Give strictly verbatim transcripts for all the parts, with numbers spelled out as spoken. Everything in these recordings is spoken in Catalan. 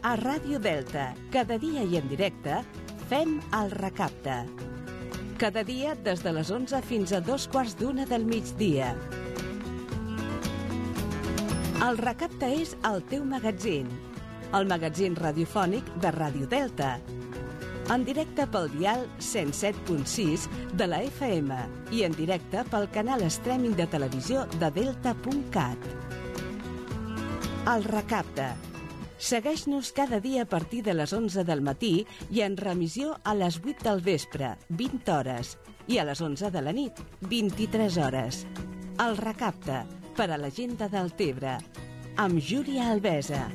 A Ràdio Delta, cada dia i en directe, fem el Recapte. Cada dia des de les onze fins a dos quarts d'una del migdia. El Recapte és el teu magatzín, el magatzín radiofònic de Ràdio Delta. En directe pel dial cent set punt sis de la F M i en directe pel canal streaming de televisió de delta punt cat. El Recapte. Segueix-nos cada dia a partir de les onze del matí i en remissió a les vuit del vespre, vint hores, i a les onze de la nit, vint-i-tres hores. El Recapte, per a la gent de Deltebre, amb Júlia Albesa.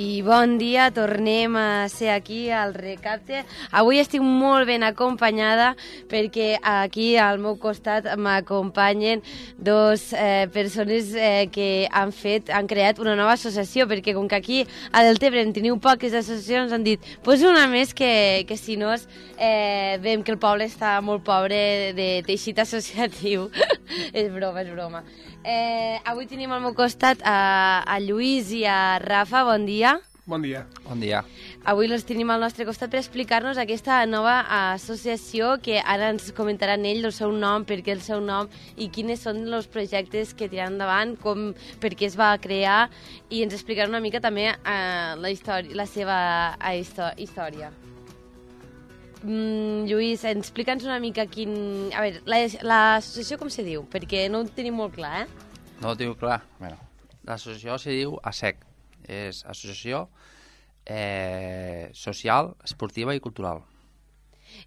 I bon dia, tornem a ser aquí al Recapte. Avui estic molt ben acompanyada perquè aquí al meu costat m'acompanyen dos eh, persones eh, que han fet, han creat una nova associació, perquè com que aquí a Deltebre en teniu poques associacions, han dit, pues una més que, que si no eh, veiem que el poble està molt pobre de teixit associatiu. És broma, és broma. Eh, avui tenim al meu costat a, a Lluís i a Rafa. Bon dia. Bon dia. Bon dia. Avui els tenim al nostre costat per explicar-nos aquesta nova associació que ara ens comentaran ells el seu nom, per què el seu nom i quins són els projectes que tiran endavant, com, per què es va crear, i ens explicaran una mica també eh, la, història, la seva eh, història. Mm, Lluís, explica'ns una mica quin... A veure, l'associació com se diu? Perquè no ho tenim molt clar, eh? No ho diu clar. Bueno, l'associació se diu A S E C. És Associació eh, Social, Esportiva i Cultural.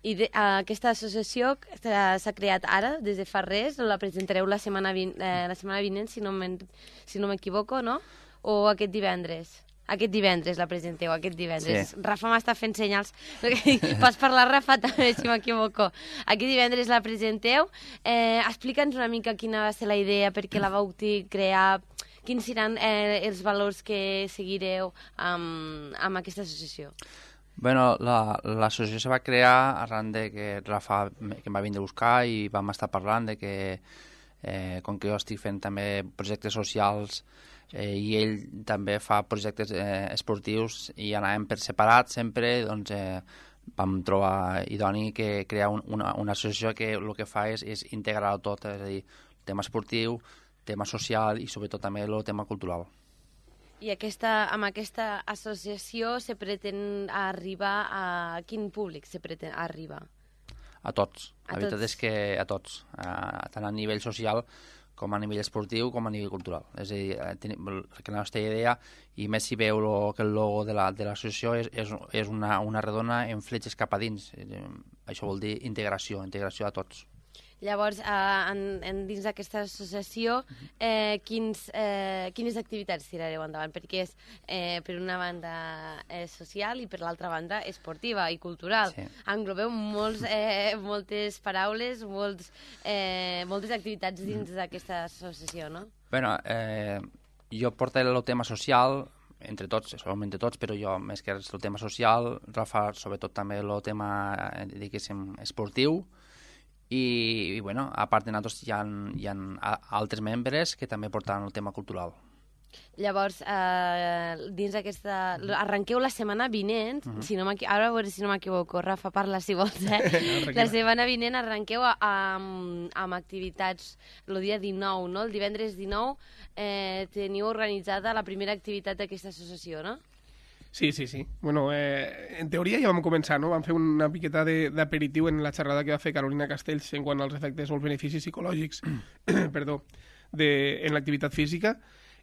I de, uh, aquesta associació s'ha creat ara, des de fa res, la presentareu la setmana, vin eh, la setmana vinent, si no m'equivoco, si no, no? O aquest divendres? Aquest divendres la presenteu, aquest divendres. Sí. Rafa m'està fent senyals. Pots parlar, Rafa, també, si m'equivoco. Aquest divendres la presenteu. Eh, Explica'ns una mica quina va ser la idea, per què la vau crear, quins seran eh, els valors que seguireu amb, amb aquesta associació. Bueno, l'associació la, se va crear arran de que Rafa que em va vindre a buscar i vam estar parlant de que, eh, com que jo estic fent també projectes socials, Eh, i ell també fa projectes eh, esportius i anàvem per separat sempre, doncs eh, vam trobar idoni que crear un, una, una associació que el que fa és, és integrar-ho tot, és a dir, tema esportiu, tema social i sobretot també el tema cultural. I aquesta, amb aquesta associació se pretén arribar a quin públic se pretén arribar? A tots, a la veritat tots. És que a tots, a, tant a nivell social com a nivell esportiu, com a nivell cultural. És a dir, tenim, la nostra idea, i més si veu lo, que el logo de l'associació la, és, és, és una, una redona en fletxes cap a dins. Això vol dir integració, integració a tots. Llavors, eh, en, en dins d'aquesta associació, eh, quins, eh, quines activitats tirareu endavant? Perquè és, eh, per una banda, eh, social i per l'altra banda, esportiva i cultural. Sí. Englobeu molts, eh, moltes paraules, molts, eh, moltes activitats dins d'aquesta associació, no? Bueno, eh, jo portaré el tema social, entre tots, solament entre tots, però jo, més que el tema social, Rafa, sobretot també el tema, eh, diguéssim, esportiu. I, i bueno, a part de nosaltres hi ha, hi ha altres membres que també portaran el tema cultural. Llavors, eh, dins d'aquesta... Arrenqueu la setmana vinent, uh -huh. si no ara a veure si no m'equivoco, Rafa, parla si vols, eh? La setmana vinent arrenqueu a, a, amb, amb activitats el dia dinou, no? El divendres dinou eh, teniu organitzada la primera activitat d'aquesta associació, no? Sí, sí, sí. Bueno, eh, en teoria ja vam començar, no? Vam fer una miqueta d'aperitiu en la xerrada que va fer Carolina Castells en quant als efectes o els beneficis psicològics perdó, de, en l'activitat física.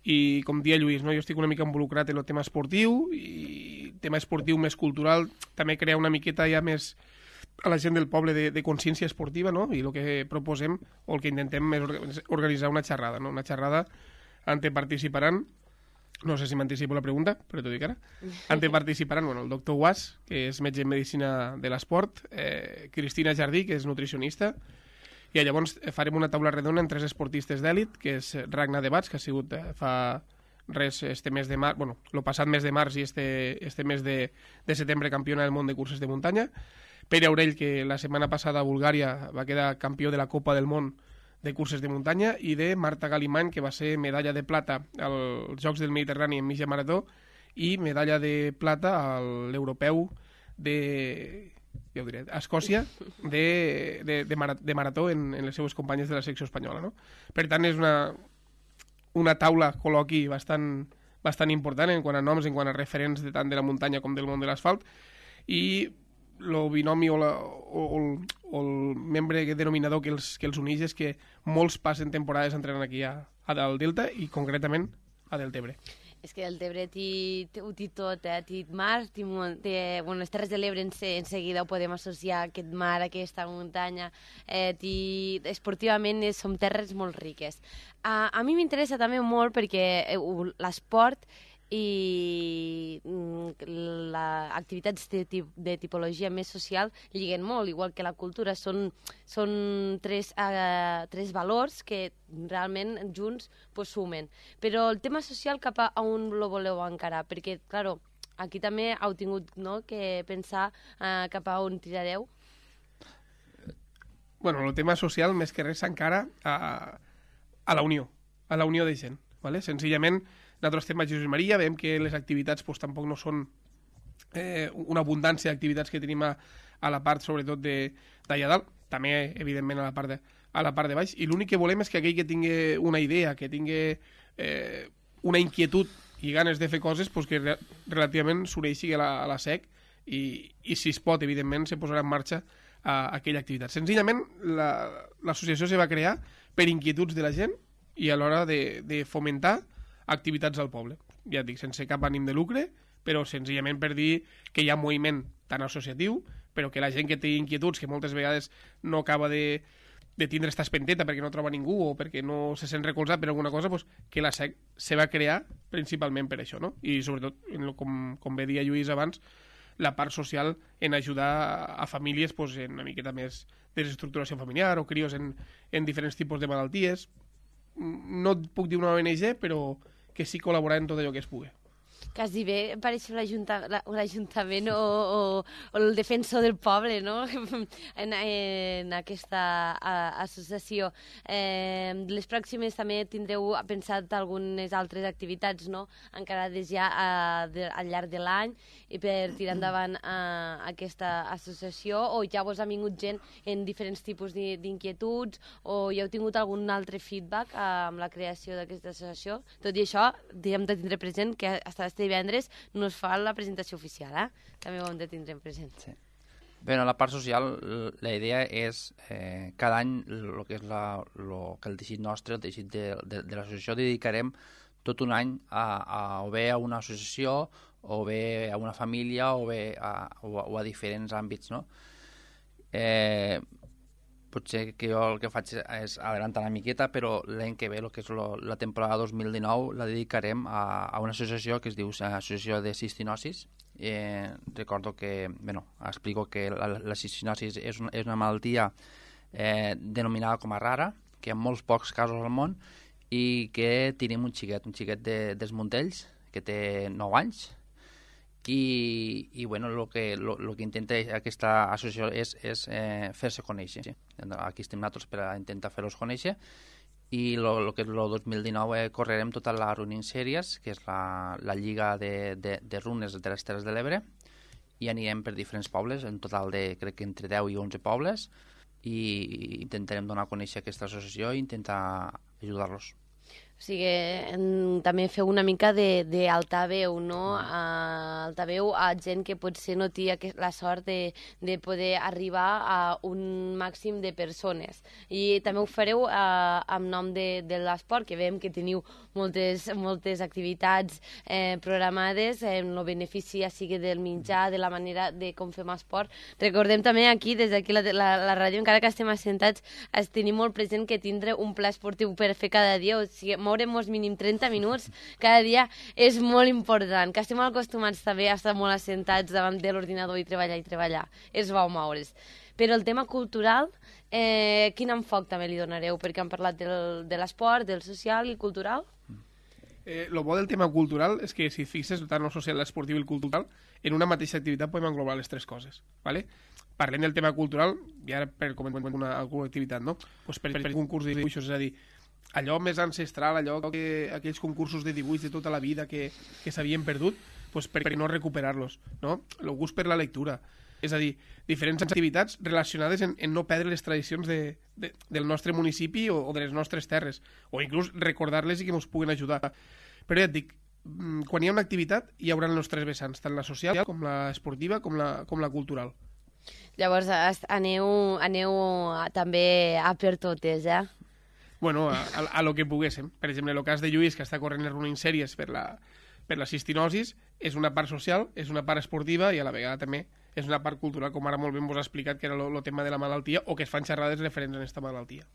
I com dia Lluís, no? Jo estic una mica involucrat en el tema esportiu i tema esportiu més cultural, també crear una miqueta ja més a la gent del poble de, de consciència esportiva, no? I el que proposem o el que intentem és organitzar una xerrada, no? Una xerrada on participaran, no sé si m'anticipo la pregunta, però t'ho dic ara, on participaran bueno, el doctor Guas, que és metge en medicina de l'esport, eh, Cristina Jardí, que és nutricionista, i llavors farem una taula redona amb tres esportistes d'èlit, que és Ragnar Debats, que ha sigut eh, fa res este mes de març, bueno, el passat mes de març i este, este mes de, de setembre campiona del món de curses de muntanya, Pere Aurell, que la setmana passada a Bulgària va quedar campió de la Copa del Món de curses de muntanya, i de Marta Galimany, que va ser medalla de plata als Jocs del Mediterrani en mitja marató i medalla de plata a l'europeu de, ja ho diré, a Escòcia de, de, de, marat de marató en, en les seues companyes de la secció espanyola, no? Per tant, és una, una taula col·loqui bastant, bastant important en quant a noms, en quant a referents de tant de la muntanya com del món de l'asfalt, i el binomi o, la, o, o, el, o el membre denominador que els, que els uneix és que molts passen temporades entrenant aquí a, a del Delta i concretament a Deltebre. És que el Tebre ho té tot, eh? Té mar, té, té, bueno, les Terres de l'Ebre en, en seguida ho podem associar, aquest mar, aquesta muntanya, eh, té, esportivament som terres molt riques. A, a mi m'interessa també molt perquè l'esport i les activitats de, de tipologia més social lliguen molt, igual que la cultura. Són, són tres, uh, tres valors que realment junts pues, sumen. Però el tema social cap a on lo voleu encarar? Perquè, claro, aquí també heu tingut, no, que pensar uh, cap a on tirareu. Bueno, el tema social més que res s'encara a, a la unió, a la unió de gent, ¿vale? Senzillament nosaltres estem a Jesús Maria, veiem que les activitats pues, tampoc no són eh, una abundància d'activitats que tenim a, a la part, sobretot, d'allà dalt, també, evidentment, a la part de, a la part de baix, i l'únic que volem és que aquell que tingui una idea, que tingui eh, una inquietud i ganes de fer coses, pues, que re relativament s'uneixi a, la, a la S E C i, i, si es pot, evidentment, se posarà en marxa a, a aquella activitat. Senzillament, l'associació la, se va crear per inquietuds de la gent i a l'hora de, de fomentar activitats al poble. Ja et dic, sense cap ànim de lucre, però senzillament per dir que hi ha moviment tan associatiu, però que la gent que té inquietuds, que moltes vegades no acaba de, de tindre esta espenteta perquè no troba ningú o perquè no se sent recolzat per alguna cosa, pues, que la S E C se va crear principalment per això, no? I sobretot, com, com bé dia Lluís abans, la part social en ajudar a famílies pues, en una miqueta més de desestructuració familiar o crios en, en diferents tipus de malalties. No et puc dir una O N G, però que sí col·laborar en tot allò que es pugui. Quasi bé pareix l'Ajuntament o, o, o el defensor del poble, no? en, en aquesta a, associació. Eh, les pròximes també tindreu pensat algunes altres activitats, no? Encarades ja a, de, al llarg de l'any i per tirar endavant a, a aquesta associació, o ja vos ha vingut gent en diferents tipus d'inquietuds, o ja heu tingut algun altre feedback amb la creació d'aquesta associació? Tot i això, hem de tindre present que hasta este divendres no es fa la presentació oficial, eh? També ho hem de tindre present. Sí. Bé, en la part social, la idea és eh, cada any el que és la, lo, que el teixit nostre, el teixit de, de, de l'associació, dedicarem tot un any a, a, o bé a una associació, o bé a una família, o bé a, o a, o a diferents àmbits, no? Eh, potser que jo el que faig és adelantar una miqueta, però l'any que ve, el que és lo, la temporada dos mil dinou, la dedicarem a, a una associació que es diu Associació de Cistinosis. Eh, recordo que, bueno, explico que la, la cistinosis és una, és una malaltia eh, denominada com a rara, que hi ha molts pocs casos al món, i que tenim un xiquet, un xiquet de, dels Montells, que té nou anys, i, i bueno, el que, lo, lo que intenta aquesta associació és, és eh, fer-se conèixer. Sí. Aquí estem nosaltres per a intentar fer-los conèixer, i el que és el dos mil dinou eh, correrem tota la Running Series, que és la, la lliga de, de, de runes de les Terres de l'Ebre, i anirem per diferents pobles, en total de crec que entre deu i onze pobles, i intentarem donar a conèixer aquesta associació i intentar ajudar-los. O sigui, en, també feu una mica d'altaveu, no? A, altaveu a gent que potser no té la sort de, de poder arribar a un màxim de persones. I també ho fareu a, amb nom de, de l'esport, que veiem que teniu moltes, moltes activitats eh, programades, en el benefici ja sigui del mitjà, de la manera de com fem esport. Recordem també aquí, des d'aquí la, la, la ràdio, encara que estem assentats, es tenim molt present que tindre un pla esportiu per fer cada dia, o sigui, moure'm mínim trenta minuts cada dia és molt important, que estem acostumats també a estar molt assentats davant de l'ordinador i treballar i treballar. És bo moure's. Però el tema cultural, eh, quin enfoc també li donareu? Perquè hem parlat del, de l'esport, del social i cultural. Eh, lo bo del tema cultural és que, si fixes, tant el social, l'esportiu i el cultural, en una mateixa activitat podem englobar les tres coses, ¿vale? parlem del tema cultural, i ara per comentar una, alguna activitat, no? Pues per, per un concurs de dibuixos, és a dir, allò més ancestral, allò que aquells concursos de dibuix de tota la vida que, que s'havien perdut, pues per no recuperar-los, no? El gust per la lectura. És a dir, diferents activitats relacionades en, en no perdre les tradicions de, de, del nostre municipi o, o de les nostres terres, o inclús recordar-les i que ens puguin ajudar. Però ja et dic, quan hi ha una activitat hi haurà els tres vessants, tant la social com la esportiva com la, com la cultural. Llavors aneu, aneu també a per totes, eh? Bueno, a, a, a lo que poguéssim. Per exemple, el cas de Lluís, que està corrent les running sèries per la, per la cistinosis, és una part social, és una part esportiva i a la vegada també és una part cultural, com ara molt bé vos ha explicat, que era el tema de la malaltia, o que es fan xerrades referents a aquesta malaltia.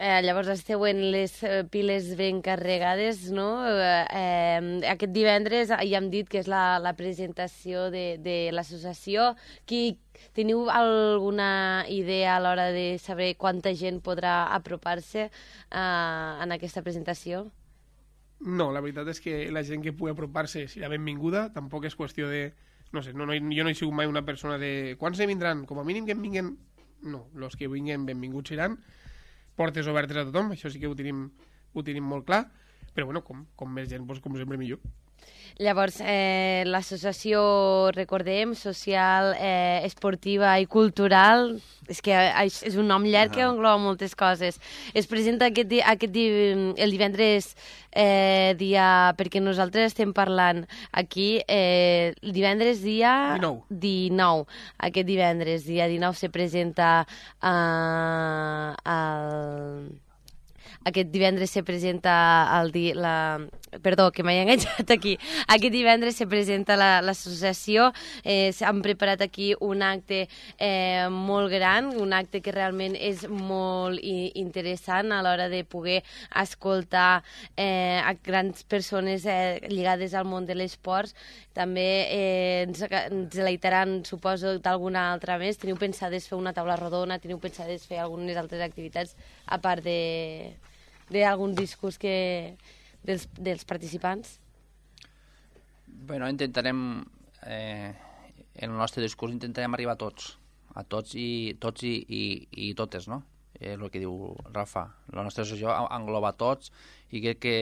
Eh, llavors esteu en les eh, piles ben carregades, no? Eh, eh, aquest divendres ja hem dit que és la, la presentació de, de l'associació. Qui, teniu alguna idea a l'hora de saber quanta gent podrà apropar-se eh, en aquesta presentació? No, la veritat és que la gent que pugui apropar-se serà benvinguda, tampoc és qüestió de... No sé, no, no, jo no he sigut mai una persona de... Quants ne vindran? Com a mínim que en vinguen... No, els que vinguen benvinguts seran, portes obertes a tothom, això sí que ho tenim, ho tenim molt clar, però bueno, com, com més gent, doncs, com sempre millor. Llavors, eh, l'associació, recordem, social, eh, esportiva i cultural, és que és un nom llarg que engloba moltes coses. Es presenta aquest, di aquest di el divendres eh, dia... Perquè nosaltres estem parlant aquí, eh, el divendres dia... dinou. dinou. Aquest divendres, dia dinou, se presenta eh, el... Aquest divendres se presenta el di la... Perdó, que m'he enganxat aquí. Aquest divendres se presenta l'associació. La, eh, han preparat aquí un acte eh, molt gran, un acte que realment és molt i, interessant a l'hora de poder escoltar eh, a grans persones eh, lligades al món de l'esport. També eh, ens, ens deleitaran, suposo, d'alguna altra més. Teniu pensades fer una taula rodona? Teniu pensades fer algunes altres activitats a part de... d'algun discurs que, dels, dels participants? Bueno, intentarem, eh, en el nostre discurs intentarem arribar a tots, a tots i, tots i, i, i totes, no? Eh, el que diu Rafa. La nostra associació engloba tots i crec que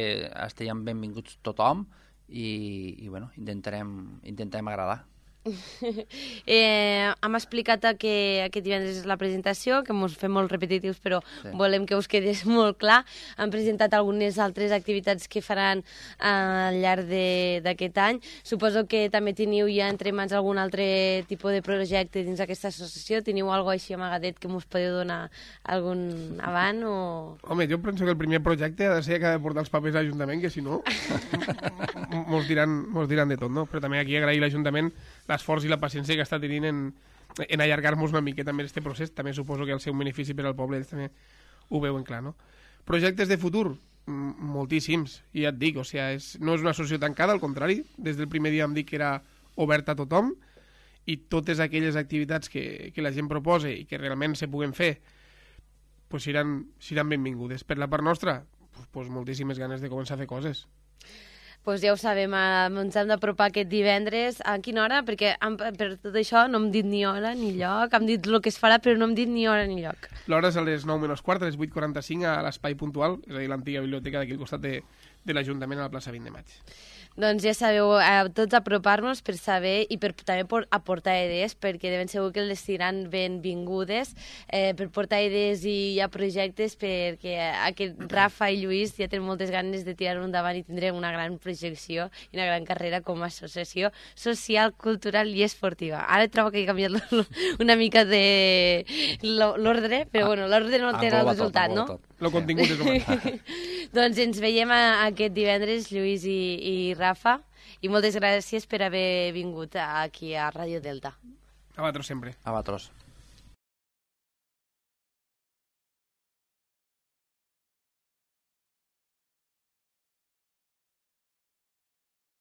estiguem benvinguts tothom i, i bueno, intentarem, intentarem agradar. eh, hem explicat que aquest divendres és la presentació, que ens fem molt repetitius, però sí, volem que us quedés molt clar. Han presentat algunes altres activitats que faran eh, al llarg d'aquest any. Suposo que també teniu ja entre mans algun altre tipus de projecte dins d'aquesta associació. Teniu alguna cosa així amagadet que us podeu donar algun avant? O... Home, jo penso que el primer projecte ha de ser que ha de portar els papers a l'Ajuntament, que si no mos diran, mos diran de tot, no? Però també aquí agrair a l'Ajuntament l'esforç i la paciència que està tenint en, en allargar-nos una miqueta més aquest procés. També suposo que el seu benefici per al poble ells també ho veuen clar, no? Projectes de futur? Moltíssims, i ja et dic, o sigui, és, no és una associació tancada, al contrari, des del primer dia em dic que era oberta a tothom, i totes aquelles activitats que, que la gent proposa i que realment se puguen fer, pues seran, seran benvingudes. Per la part nostra, pues, pues moltíssimes ganes de començar a fer coses. Pues ja ho sabem, ens hem d'apropar aquest divendres. A quina hora? Perquè per tot això no hem dit ni hora ni lloc, hem dit el que es farà, però no hem dit ni hora ni lloc. L'hora és a les nou menys quart, a les vuit quaranta-cinc a l'Espai Puntual, és a dir, l'antiga biblioteca d'aquí al costat de, de l'Ajuntament a la plaça vint de maig. Doncs ja sabeu, eh, tots apropar-nos per saber i per també per aportar idees, perquè de ben segur que les seran benvingudes, eh, per portar idees i hi ha projectes, perquè aquest Rafa i Lluís ja tenen moltes ganes de tirar-ho endavant i tindrem una gran projecció i una gran carrera com a associació social, cultural i esportiva. Ara trobo que he canviat una mica de l'ordre, però bueno, l'ordre no té el resultat, no? El contingut és el mateix. Doncs ens veiem aquest divendres, Lluís i, i Rafa, i moltes gràcies per haver vingut aquí a Ràdio Delta. A vosaltres sempre. A vosaltres.